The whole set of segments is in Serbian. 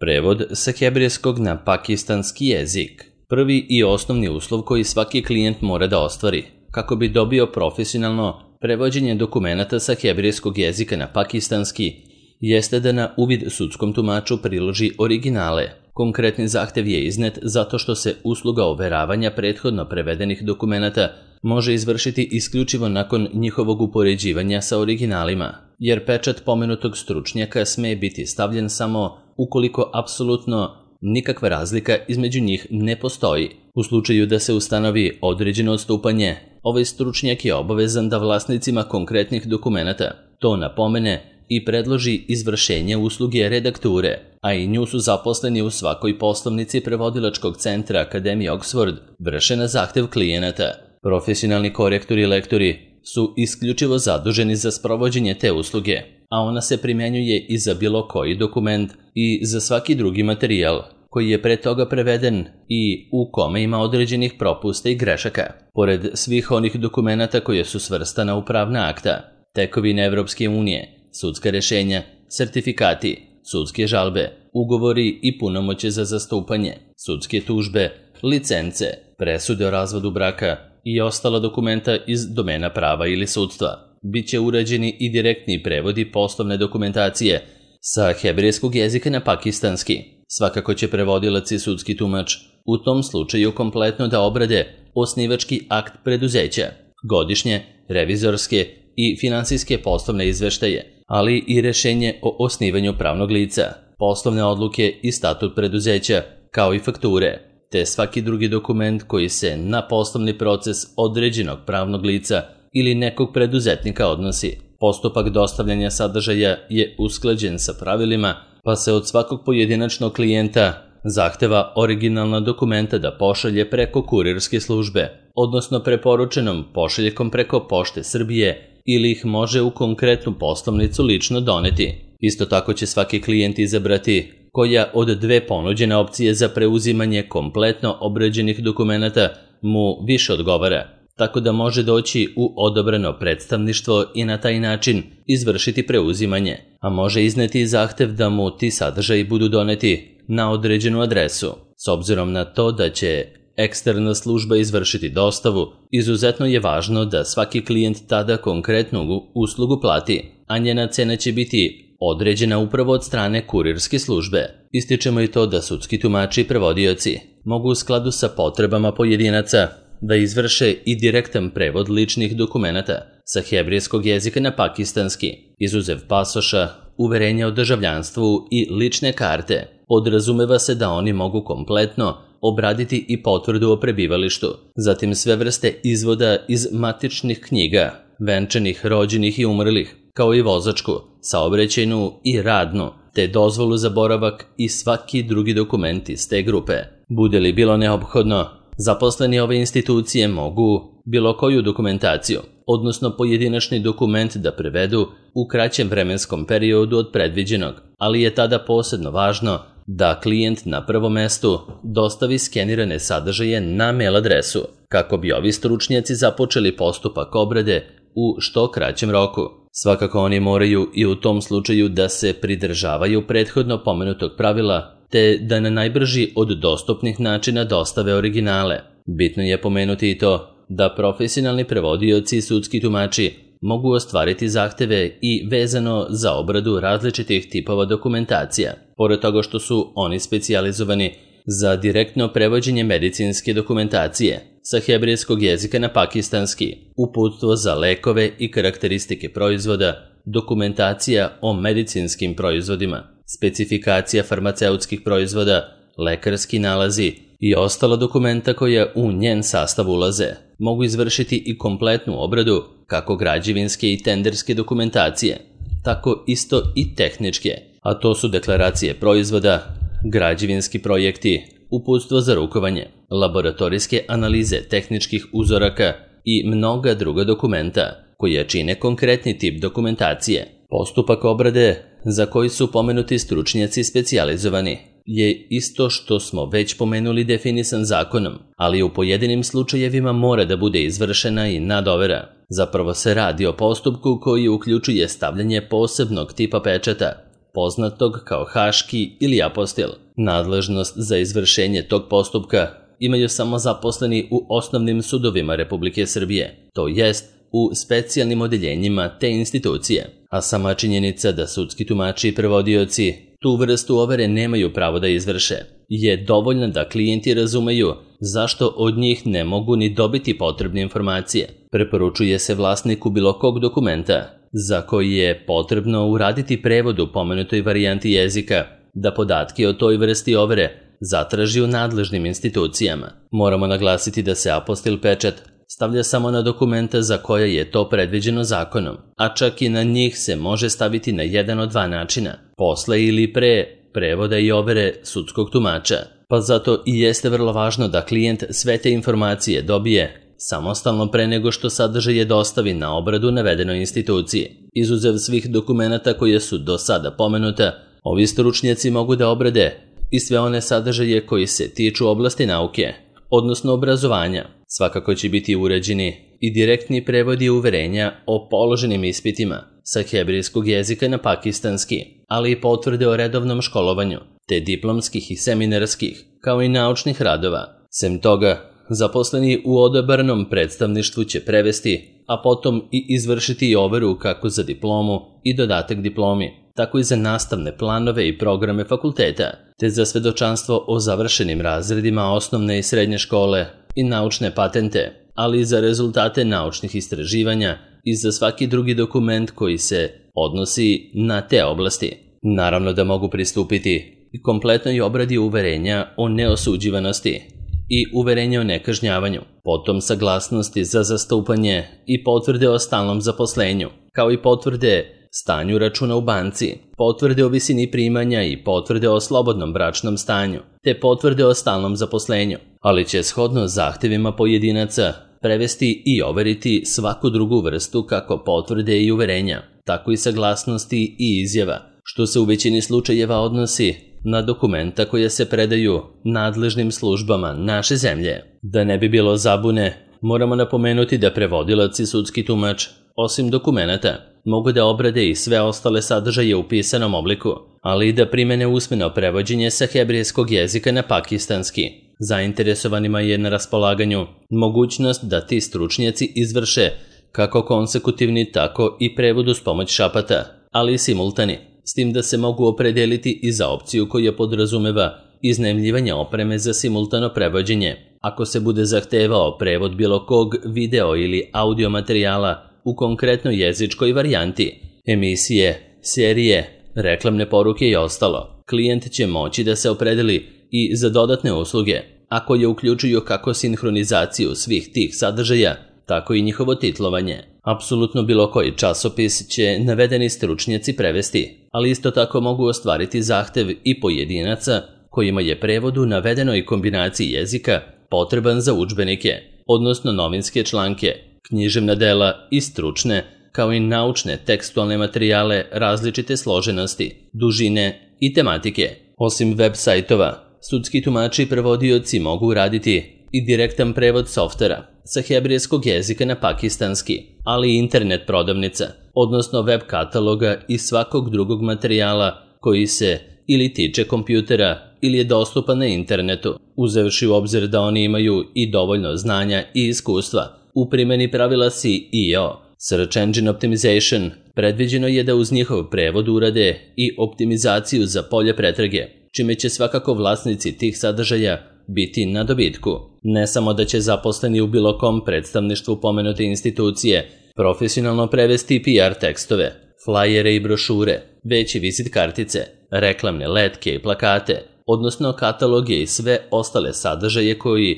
Prevod sa hebrejskog na pakistanski jezik. Prvi i osnovni uslov koji svaki klijent mora da ostvari kako bi dobio profesionalno prevođenje dokumenata sa hebrejskog jezika na pakistanski jeste da na uvid sudskom tumaču priloži originale. Konkretni zahtev je iznet zato što se usluga overavanja prethodno prevedenih dokumenata može izvršiti isključivo nakon njihovog upoređivanja sa originalima, jer pečat pomenutog stručnjaka sme biti stavljen samo ukoliko apsolutno nikakva razlika između njih ne postoji. U slučaju da se ustanovi određeno odstupanje, ovaj stručnjak je obavezan da vlasnicima konkretnih dokumenata to napomene i predloži izvršenje usluge redakture, a i nju su zaposleni u svakoj poslovnici prevodilačkog centra Akademije Oxford vrše na zahtev klijenata. Profesionalni korektori i lektori su isključivo zaduženi za sprovođenje te usluge, a ona se primjenjuje i za bilo koji dokument i za svaki drugi materijal koji je pre toga preveden i u kome ima određenih propusta i grešaka. Pored svih onih dokumenata koje su svrstana u pravna akta, tekovine Evropske unije, sudska rešenja, sertifikati, sudske žalbe, ugovori i punomoće za zastupanje, sudske tužbe, licence, presude o razvodu braka i ostala dokumenta iz domena prava ili sudstva. Biće urađeni i direktni prevodi poslovne dokumentacije sa hebrejskog jezika na pakistanski. Svakako će prevodilac i sudski tumač u tom slučaju kompletno da obrade osnivački akt preduzeća, godišnje, revizorske i finansijske poslovne izveštaje, ali i rešenje o osnivanju pravnog lica, poslovne odluke i statut preduzeća, kao i fakture, te svaki drugi dokument koji se na poslovni proces određenog pravnog lica ili nekog preduzetnika odnosi. Postupak dostavljanja sadržaja je usklađen sa pravilima, pa se od svakog pojedinačnog klijenta zahteva originalna dokumenta da pošalje preko kurirske službe, odnosno preporučenom pošaljkom preko Pošte Srbije ili ih može u konkretnu poslovnicu lično doneti. Isto tako će svaki klijent izabrati koja od dve ponuđene opcije za preuzimanje kompletno obrađenih dokumenata mu više odgovara, tako da može doći u odabrano predstavništvo i na taj način izvršiti preuzimanje, a može izneti i zahtev da mu ti sadržaji budu doneti na određenu adresu. S obzirom na to da će eksterna služba izvršiti dostavu, izuzetno je važno da svaki klijent tada konkretnu uslugu plati, a njena cena će biti određena upravo od strane kurirske službe. Ističemo i to da sudski tumači i prevodioci mogu u skladu sa potrebama pojedinaca da izvrše i direktan prevod ličnih dokumenata sa hebrejskog jezika na pakistanski, izuzev pasoša, uverenja o državljanstvu i lične karte. Podrazumeva se da oni mogu kompletno obraditi i potvrdu o prebivalištu, zatim sve vrste izvoda iz matičnih knjiga, venčanih, rođenih i umrlih, kao i vozačku, saobraćajnu i radnu, te dozvolu za boravak i svaki drugi dokument iz te grupe. Bude li bilo neophodno, zaposleni ove institucije mogu bilo koju dokumentaciju, odnosno pojedinačni dokument da prevedu u kraćem vremenskom periodu od predviđenog, ali je tada posebno važno da klijent na prvom mestu dostavi skenirane sadržaje na mail adresu, kako bi ovi stručnjaci započeli postupak obrade u što kraćem roku. Svakako oni moraju i u tom slučaju da se pridržavaju prethodno pomenutog pravila, te da na najbrži od dostupnih načina dostave originale. Bitno je pomenuti i to da profesionalni prevodioci i sudski tumači mogu ostvariti zahteve i vezano za obradu različitih tipova dokumentacija. Pored toga što su oni specijalizovani za direktno prevođenje medicinske dokumentacije sa hebrejskog jezika na pakistanski, uputstvo za lekove i karakteristike proizvoda, dokumentacija o medicinskim proizvodima, specifikacija farmaceutskih proizvoda, lekarski nalazi i ostala dokumenta koja u njen sastav ulaze, mogu izvršiti i kompletnu obradu kako građevinske i tenderske dokumentacije, tako isto i tehničke, a to su deklaracije proizvoda, građevinski projekti, uputstvo za rukovanje, laboratorijske analize tehničkih uzoraka i mnoga druga dokumenta koja čine konkretni tip dokumentacije. Postupak obrade za koji su pomenuti stručnjaci specijalizovani je isto što smo već pomenuli definisan zakonom, ali u pojedinim slučajevima mora da bude izvršena i nadovera. Zapravo se radi o postupku koji uključuje stavljanje posebnog tipa pečata, poznatog kao haški ili apostil. Nadležnost za izvršenje tog postupka imaju samo zaposleni u osnovnim sudovima Republike Srbije, to jest u specijalnim odeljenjima te institucije, a sama činjenica da sudski tumači i prevodioci tu vrstu overe nemaju pravo da izvrše je dovoljna da klijenti razumeju zašto od njih ne mogu ni dobiti potrebne informacije. Preporučuje se vlasniku bilo kog dokumenta za koji je potrebno uraditi prevod u pomenutoj varijanti jezika da podatke o toj vrsti overe zatraži u nadležnim institucijama. Moramo naglasiti da se apostil pečat stavlja samo na dokumenta za koje je to predviđeno zakonom, a čak i na njih se može staviti na jedan od dva načina, posle ili pre prevoda i overe sudskog tumača. Pa zato i jeste vrlo važno da klijent sve te informacije dobije samostalno pre nego što sadržaje dostavi na obradu navedenoj instituciji. Izuzev svih dokumenata koje su do sada pomenuta, ovi stručnjaci mogu da obrade i sve one sadržaje koji se tiču oblasti nauke, odnosno obrazovanja. Svakako će biti uređeni i direktni prevodi uverenja o položenim ispitima sa hebrejskog jezika na pakistanski, ali i potvrde o redovnom školovanju, te diplomskih i seminarskih, kao i naučnih radova. Sem toga, zaposleni u odabranom predstavništvu će prevesti, a potom i izvršiti overu kako za diplomu i dodatak diplomi, tako i za nastavne planove i programe fakulteta, te za svedočanstvo o završenim razredima osnovne i srednje škole i naučne patente, ali i za rezultate naučnih istraživanja i za svaki drugi dokument koji se odnosi na te oblasti. Naravno da mogu pristupiti i kompletnoj obradi uverenja o neosuđivanosti i uverenja o nekažnjavanju, potom saglasnosti za zastupanje i potvrde o stalnom zaposlenju, kao i potvrde stanju računa u banci, potvrde o visini primanja i potvrde o slobodnom bračnom stanju, te potvrde o stalnom zaposlenju, ali će shodno zahtevima pojedinaca prevesti i overiti svaku drugu vrstu kako potvrde i uverenja, tako i saglasnosti i izjava, što se u većini slučajeva odnosi na dokumenta koje se predaju nadležnim službama naše zemlje. Da ne bi bilo zabune, moramo napomenuti da prevodilac i sudski tumač, osim dokumenata, mogu da obrade i sve ostale sadržaje u pisanom obliku, ali i da primene usmeno prevođenje sa hebrejskog jezika na pakistanski. Zainteresovanima je na raspolaganju mogućnost da ti stručnjaci izvrše kako konsekutivni, tako i prevod uz pomoć šapata, ali i simultani, s tim da se mogu opredeliti i za opciju koja podrazumeva iznajmljivanje opreme za simultano prevođenje, ako se bude zahtevao prevod bilo kog video ili audio materijala u konkretnoj jezičkoj varijanti, emisije, serije, reklamne poruke i ostalo. Klijent će moći da se opredeli i za dodatne usluge, a koje uključuju kako sinhronizaciju svih tih sadržaja, tako i njihovo titlovanje. Apsolutno bilo koji časopis će navedeni stručnjaci prevesti, ali isto tako mogu ostvariti zahtev i pojedinaca kojima je prevod u navedenoj kombinaciji jezika potreban za udžbenike, odnosno novinske članke, književna dela i stručne, kao i naučne tekstualne materijale različite složenosti, dužine i tematike. Osim web sajtova, sudski tumači i prevodioci mogu raditi i direktan prevod softvera sa hebrejskog jezika na pakistanski, ali i internet prodavnica, odnosno web kataloga i svakog drugog materijala koji se ili tiče kompjutera ili je dostupan na internetu, uzevši u obzir da oni imaju i dovoljno znanja i iskustva u primjeni pravila SEO, Search Engine Optimization. Predviđeno je da uz njihov prevod urade i optimizaciju za polje pretrage, čime će svakako vlasnici tih sadržaja biti na dobitku. Ne samo da će zaposleni u bilo kom predstavništvu pomenute institucije profesionalno prevesti PR tekstove, flajere i brošure, već i vizit kartice, reklamne letke i plakate, odnosno kataloge i sve ostale sadržaje koji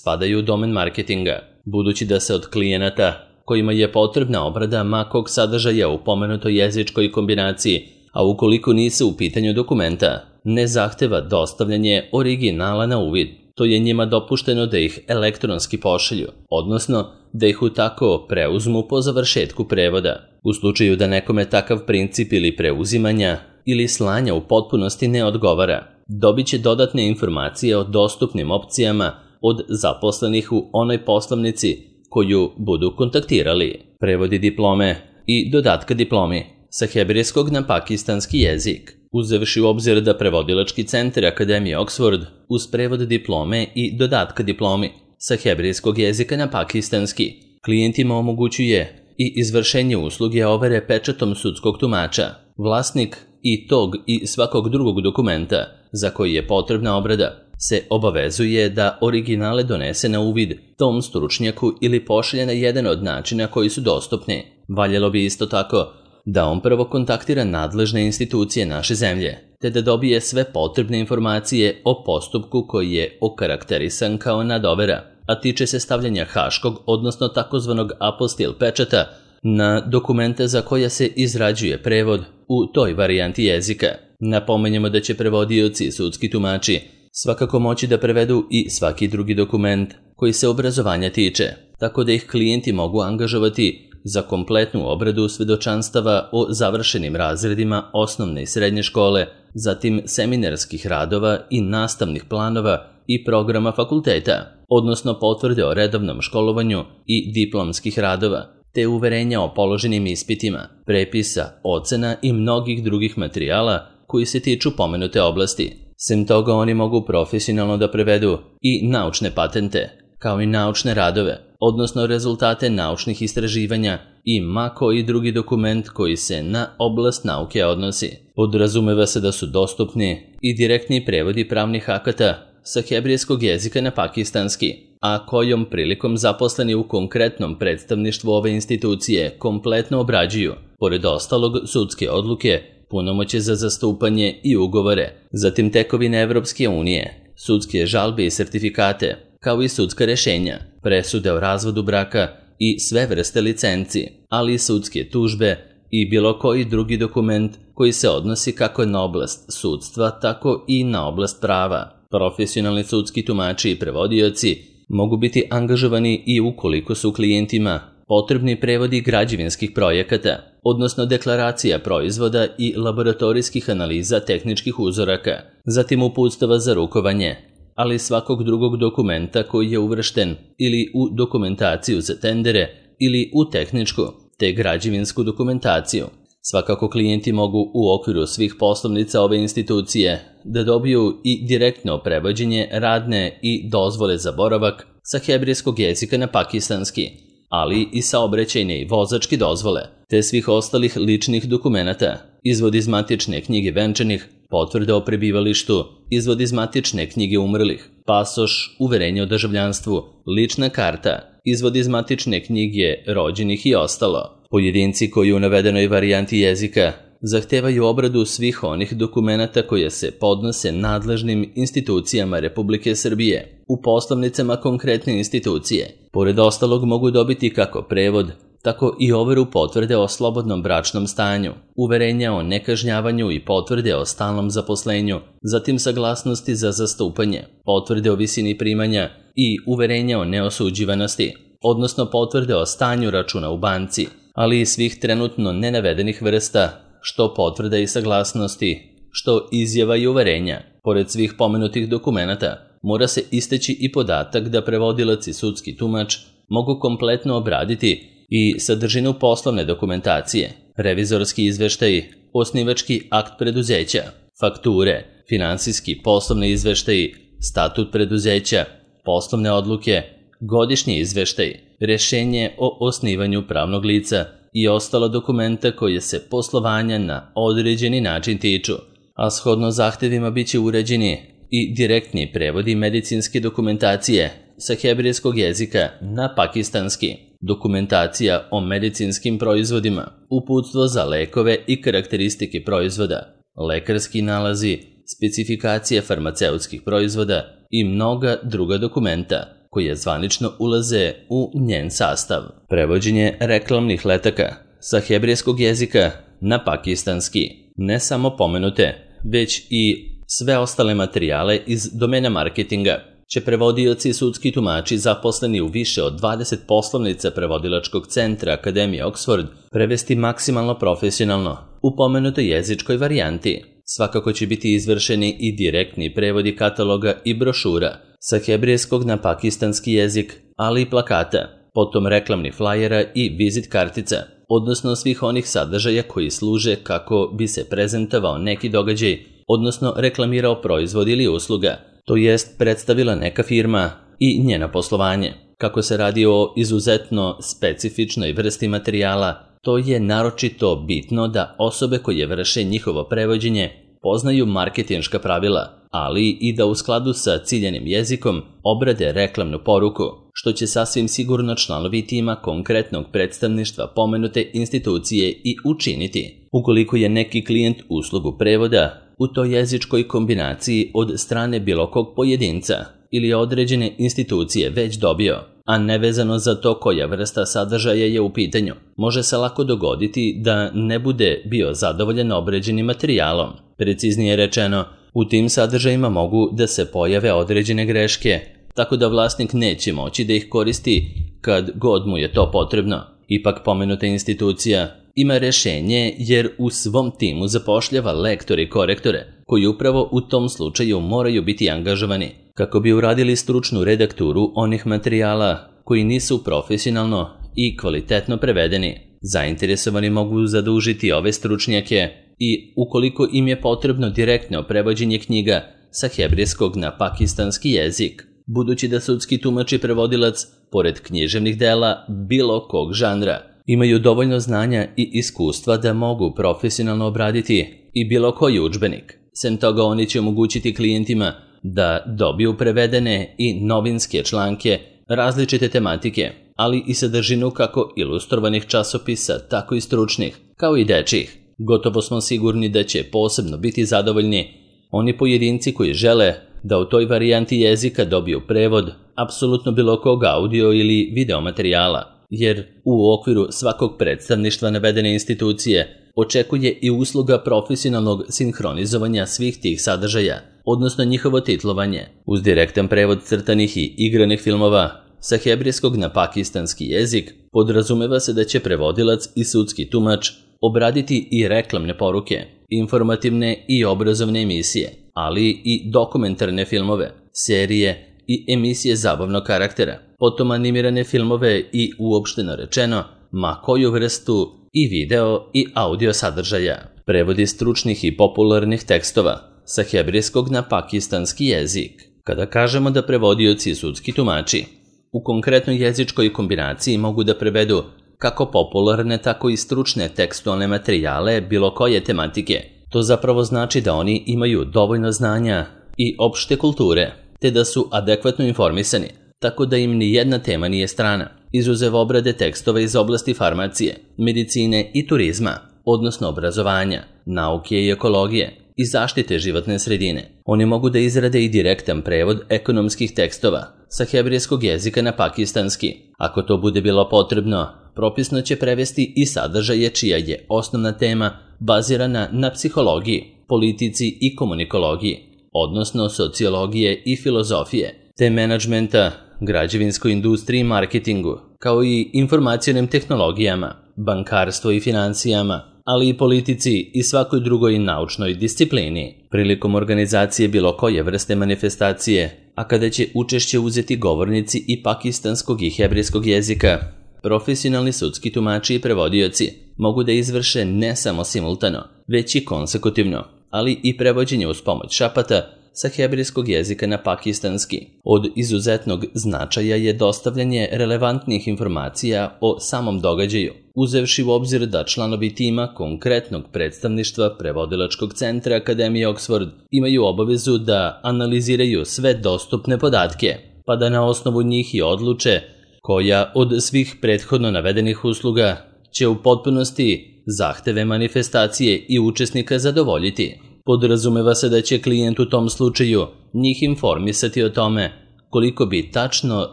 spadaju u domen marketinga. Budući da se od klijenata kojima je potrebna obrada makog sadržaja u pomenutoj jezičkoj kombinaciji, a ukoliko nisu u pitanju dokumenta, ne zahteva dostavljanje originala na uvid, to je njima dopušteno da ih elektronski pošalju, odnosno da ih u tako preuzmu po završetku prevoda. U slučaju da nekome takav princip ili preuzimanja ili slanja u potpunosti ne odgovara, dobit će dodatne informacije o dostupnim opcijama od zaposlenih u onoj poslovnici koju budu kontaktirali. Prevodi diplome i dodatka diplomi sa hebrejskog na pakistanski jezik. Uzevši u obzir da prevodilački centar Akademije Oxford uz prevod diplome i dodatka diplomi sa hebrejskog jezika na pakistanski klijentima omogućuje i izvršenje usluge overe pečatom sudskog tumača. Vlasnik i tog i svakog drugog dokumenta za koji je potrebna obrada se obavezuje da originale donese na uvid tom stručnjaku ili pošalje na jedan od načina koji su dostupni. Valjalo bi isto tako da on prvo kontaktira nadležne institucije naše zemlje, te da dobije sve potrebne informacije o postupku koji je okarakterisan kao nadovera, a tiče se stavljanja haškog, odnosno takozvanog apostil pečata na dokumente za koja se izrađuje prevod u toj varijanti jezika. Napomenjemo da će prevodioci i sudski tumači svakako moći da prevedu i svaki drugi dokument koji se obrazovanja tiče, tako da ih klijenti mogu angažovati za kompletnu obradu svedočanstava o završenim razredima osnovne i srednje škole, zatim seminarskih radova i nastavnih planova i programa fakulteta, odnosno potvrde o redovnom školovanju i diplomskih radova, te uverenja o položenim ispitima, prepisa, ocena i mnogih drugih materijala koji se tiču pomenute oblasti. Sem toga oni mogu profesionalno da prevedu i naučne patente, kao i naučne radove, odnosno rezultate naučnih istraživanja i ma koji drugi dokument koji se na oblast nauke odnosi. Podrazumeva se da su dostupni i direktni prevodi pravnih akata sa hebrejskog jezika na pakistanski, a kojom prilikom zaposleni u konkretnom predstavništvu ove institucije kompletno obrađuju, pored ostalog sudske odluke, punomoće za zastupanje i ugovore, zatim tekovine Evropske unije, sudske žalbe i sertifikate, kao i sudska rešenja, presude o razvodu braka i sve vrste licenci, ali i sudske tužbe i bilo koji drugi dokument koji se odnosi kako na oblast sudstva, tako i na oblast prava. Profesionalni sudski tumači i prevodioci mogu biti angažovani i ukoliko su klijentima potrebni prevodi građevinskih projekata, odnosno deklaracija proizvoda i laboratorijskih analiza tehničkih uzoraka, zatim uputstava za rukovanje, ali svakog drugog dokumenta koji je uvršten ili u dokumentaciju za tendere ili u tehničku te građevinsku dokumentaciju. Svakako klijenti mogu u okviru svih poslovnica ove institucije da dobiju i direktno prevođenje radne i dozvole za boravak sa hebrejskog jezika na pakistanski, ali i saobraćajne i vozačke dozvole, te svih ostalih ličnih dokumenata, izvod iz matične knjige venčanih, potvrde o prebivalištu, izvod iz matične knjige umrlih, pasoš, uverenje o državljanstvu, lična karta, izvod iz matične knjige rođenih i ostalo. Pojedinci koji u navedenoj varijanti jezika zahtevaju obradu svih onih dokumenata koje se podnose nadležnim institucijama Republike Srbije u poslovnicama konkretne institucije. Pored ostalog mogu dobiti kako prevod, tako i overu potvrde o slobodnom bračnom stanju, uverenja o nekažnjavanju i potvrde o stalnom zaposlenju, zatim saglasnosti za zastupanje, potvrde o visini primanja i uverenja o neosuđivanosti, odnosno potvrde o stanju računa u banci, ali i svih trenutno nenavedenih vrsta, što potvrda i saglasnosti, što izjava i uverenja. Pored svih pomenutih dokumenata, mora se isteći i podatak da prevodilac i sudski tumač mogu kompletno obraditi i sadržinu poslovne dokumentacije, revizorski izveštaji, osnivački akt preduzeća, fakture, finansijski poslovni izveštaji, statut preduzeća, poslovne odluke, godišnji izveštaj, rešenje o osnivanju pravnog lica i ostala dokumenta koje se poslovanja na određeni način tiču, a shodno zahtevima biće uređeni i direktni prevodi medicinske dokumentacije sa hebrejskog jezika na pakistanski, dokumentacija o medicinskim proizvodima, uputstvo za lekove i karakteristike proizvoda, lekarski nalazi, specifikacije farmaceutskih proizvoda i mnoga druga dokumenta koje zvanično ulaze u njen sastav. Prevođenje reklamnih letaka sa hebrejskog jezika na pakistanski, ne samo pomenute, već i sve ostale materijale iz domena marketinga, će prevodioci i sudski tumači zaposleni u više od 20 poslovnica prevodilačkog centra Akademije Oxford prevesti maksimalno profesionalno u pomenutoj jezičkoj varijanti. Svakako će biti izvršeni i direktni prevodi kataloga i brošura sa hebrejskog na pakistanski jezik, ali i plakata, potom reklamnih flajera i vizit kartica, odnosno svih onih sadržaja koji služe kako bi se prezentovao neki događaj, odnosno reklamirao proizvod ili usluga, to jest predstavila neka firma i njeno poslovanje. Kako se radi o izuzetno specifičnoj vrsti materijala, to je naročito bitno da osobe koje vrše njihovo prevođenje poznaju marketinška pravila, ali i da u skladu sa ciljanim jezikom obrade reklamnu poruku, što će sasvim sigurno članovi tima konkretnog predstavništva pomenute institucije i učiniti. Ukoliko je neki klijent uslugu prevoda u toj jezičkoj kombinaciji od strane bilo kog pojedinca ili određene institucije već dobio, a nevezano za to koja vrsta sadržaja je u pitanju, može se lako dogoditi da ne bude bio zadovoljan određenim materijalom. Preciznije rečeno, u tim sadržajima mogu da se pojave određene greške, tako da vlasnik neće moći da ih koristi kad god mu je to potrebno. Ipak pomenuta institucija ima rešenje jer u svom timu zapošljava lektore i korektore, koji upravo u tom slučaju moraju biti angažovani, kako bi uradili stručnu redakturu onih materijala koji nisu profesionalno i kvalitetno prevedeni. Zainteresovani mogu zadužiti ove stručnjake i, ukoliko im je potrebno direktno prevođenje knjiga sa hebrejskog na pakistanski jezik, budući da sudski tumač i prevodilac, pored književnih dela bilo kog žanra, imaju dovoljno znanja i iskustva da mogu profesionalno obraditi i bilo koji udžbenik. Sem toga, oni će omogućiti klijentima da dobiju prevedene i novinske članke različite tematike, ali i sadržinu kako ilustrovanih časopisa, tako i stručnih, kao i dečjih. Gotovo smo sigurni da će posebno biti zadovoljni oni pojedinci koji žele da u toj varijanti jezika dobiju prevod apsolutno bilo kog audio ili video materijala, jer u okviru svakog predstavništva navedene institucije očekuje i usluga profesionalnog sinhronizovanja svih tih sadržaja, odnosno njihovo titlovanje, uz direktan prevod crtanih i igranih filmova sa hebrejskog na pakistanski jezik. Podrazumeva se da će prevodilac i sudski tumač obraditi i reklamne poruke, informativne i obrazovne emisije, ali i dokumentarne filmove, serije i emisije zabavnog karaktera, potom animirane filmove i, uopšteno rečeno, ma koju vrstu i video i audio sadržaja. Prevodi stručnih i popularnih tekstova sa hebrejskog na pakistanski jezik. Kada kažemo da prevodioci i sudski tumači u konkretnoj jezičkoj kombinaciji mogu da prevedu kako popularne, tako i stručne tekstualne materijale bilo koje tematike, to zapravo znači da oni imaju dovoljno znanja i opšte kulture, te da su adekvatno informisani, tako da im ni jedna tema nije strana, izuzev obrade tekstova iz oblasti farmacije, medicine i turizma, odnosno obrazovanja, nauke i ekologije i zaštite životne sredine. Oni mogu da izrade i direktan prevod ekonomskih tekstova sa hebrejskog jezika na pakistanski. Ako to bude bilo potrebno, propisno će prevesti i sadržaje čija je osnovna tema bazirana na psihologiji, politici i komunikologiji, odnosno sociologije i filozofije, te menadžmenta, građevinskoj industriji i marketingu, kao i informacionim tehnologijama, bankarstvo i financijama, ali i politici i svakoj drugoj naučnoj disciplini. Prilikom organizacije bilo koje vrste manifestacije, a kada će učešće uzeti govornici i pakistanskog i hebrejskog jezika, profesionalni sudski tumači i prevodioci mogu da izvrše ne samo simultano, već i konsekutivno, ali i prevođenje uz pomoć šapata sa hebrejskog jezika na pakistanski. Od izuzetnog značaja je dostavljanje relevantnih informacija o samom događaju, uzevši u obzir da članovi tima konkretnog predstavništva prevodilačkog centra Akademije Oxford imaju obavezu da analiziraju sve dostupne podatke, pa da na osnovu njih i odluče koja od svih prethodno navedenih usluga će u potpunosti zahteve manifestacije i učesnika zadovoljiti. Podrazumeva se da će klijent u tom slučaju njih informisati o tome koliko bi tačno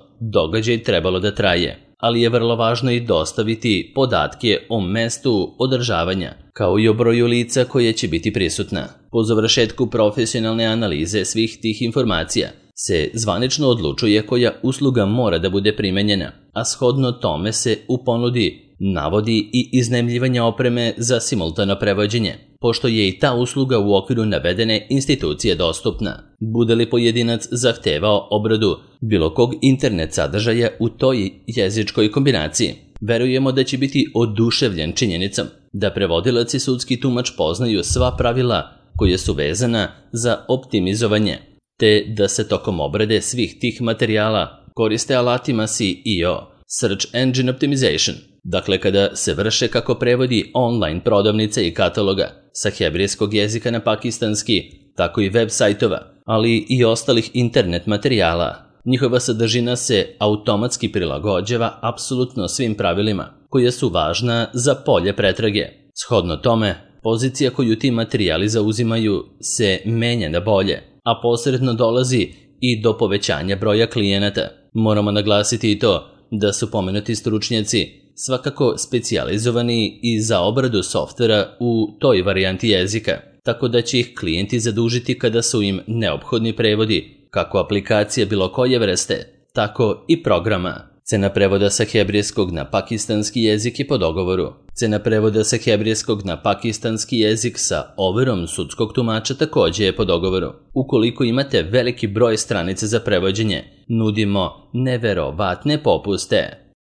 događaj trebalo da traje, ali je vrlo važno i dostaviti podatke o mestu održavanja, kao i o broju lica koje će biti prisutna. Po završetku profesionalne analize svih tih informacija, se zvanično odlučuje koja usluga mora da bude primenjena, a shodno tome se u ponudi navodi i iznajmljivanje opreme za simultano prevođenje, pošto je i ta usluga u okviru navedene institucije dostupna. Bude li pojedinac zahtevao obradu bilo kog internet sadržaja u toj jezičkoj kombinaciji, verujemo da će biti oduševljen činjenicom da prevodilac i sudski tumač poznaju sva pravila koje su vezana za optimizovanje, te da se tokom obrade svih tih materijala koriste alatima SEO, Search Engine Optimization, dakle kada se vrše kako prevodi online prodavnice i kataloga sa hebrejskog jezika na pakistanski, tako i web sajtova, ali i ostalih internet materijala. Njihova sadržina se automatski prilagođava apsolutno svim pravilima koja su važna za polje pretrage. Shodno tome, pozicija koju ti materijali zauzimaju se menja na bolje, a posredno dolazi i do povećanja broja klijenata. Moramo naglasiti i to da su pomenuti stručnjaci svakako specijalizovani i za obradu softvera u toj varijanti jezika, tako da će ih klijenti zadužiti kada su im neophodni prevodi, kako aplikacije bilo koje vrste, tako i programa. Cena prevoda sa hebrejskog na pakistanski jezik je po dogovoru. Cena prevoda sa hebrejskog na pakistanski jezik sa overom sudskog tumača također je po dogovoru. Ukoliko imate veliki broj stranica za prevođenje, nudimo neverovatne popuste.